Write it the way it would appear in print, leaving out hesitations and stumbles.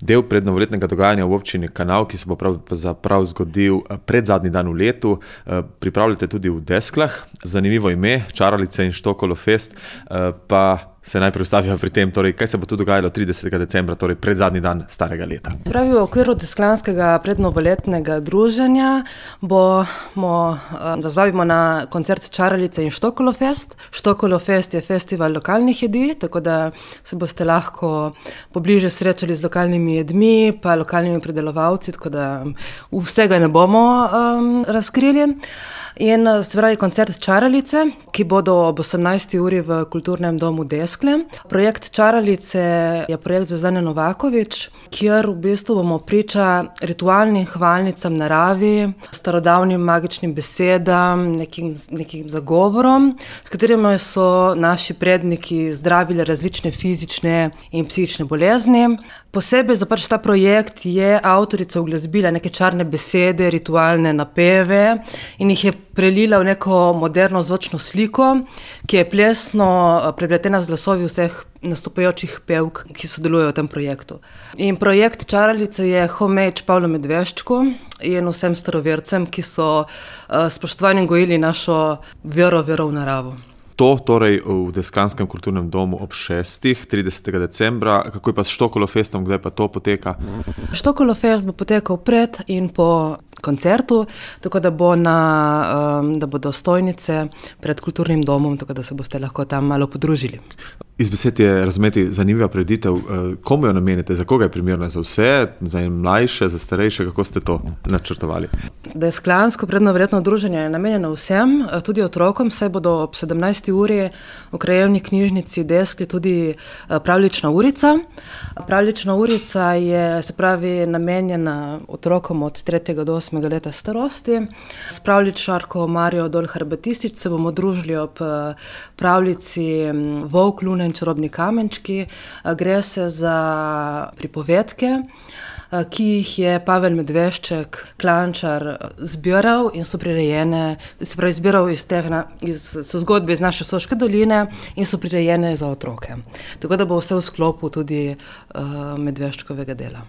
del prednovoletnega dogajanja v občini Kanal, ki se bo pravzaprav zgodil predzadnji dan v letu. Pripravljate tudi v Desklah, zanimivo ime, Čaralice in Štokolofest, pa se najprej ustavijo pri tem, torej, kaj se bo tu dogajalo 30. decembra, torej predzadnji dan starega leta. Pravi, v okviru Desklanskega prednovoletnega druženja vas vabimo na koncert Čaralice in Štokolofest. Štokolofest je festival lokalnih jedi, tako da se boste lahko pobliže srečali z lokalnimi jedmi, pa lokalnimi pridelovalci, tako da vsega ne bomo razkrili. In se pravi koncert Čaralice, ki bodo ob 18. uri v Kulturnem domu Deskle. Projekt Čaralice je projekt Zvezdane Novakovič, kjer v bistvu bomo priča ritualnim hvalnicam naravi, starodavnim magičnim besedam, nekim zagovorom, s katerimi so naši predniki zdravili različne fizične in psihične bolezni. Posebej za ta projekt je avtorica uglasbila neke čarne besede, ritualne napeve in jih je prelila v neko moderno zvočno sliko, ki je plesno prepletena z glasovi vseh nastopajočih pevk, ki sodelujejo v tem projektu. In projekt Čaralice je homage Pavlu Medveščku in vsem starovercem, ki so spoštovanjem gojili našo vero v naravo. To torej v Desklanskem kulturnem domu ob 6. 30. decembra. Kako je pa s Štokolofestom, kdaj pa to poteka? Štokolofest bo potekal pred in po koncertu, tako da bodo stojnice pred kulturnim domom, tako da se boste lahko tam malo podružili. Iz besed je razumeti zanimiva prireditev. Komu jo namenite? Za koga je primerna? Za vse? Za mlajše, za starejše? Kako ste to načrtovali? Desklansko prednovoletno druženje je namenjeno vsem, tudi otrokom, saj bodo ob 17. uri v krajevni knjižnici Deskli tudi pravljična urica. Pravljična urica je, se pravi, namenjena otrokom od 3. do 8. leta starosti. S pravljičarko Marijo Dolhar-Batistič se bomo družili ob pravljici Volk, luna in čarobni kamenčki. Gre se za pripovedke, ki jih je Pavel Medvešček, Klančar, zbiral in so prirejene, se pravi zbiral so zgodbe iz naše Soške doline in so prirejene za otroke. Tako da bo vse v sklopu tudi Medveščkovega dela.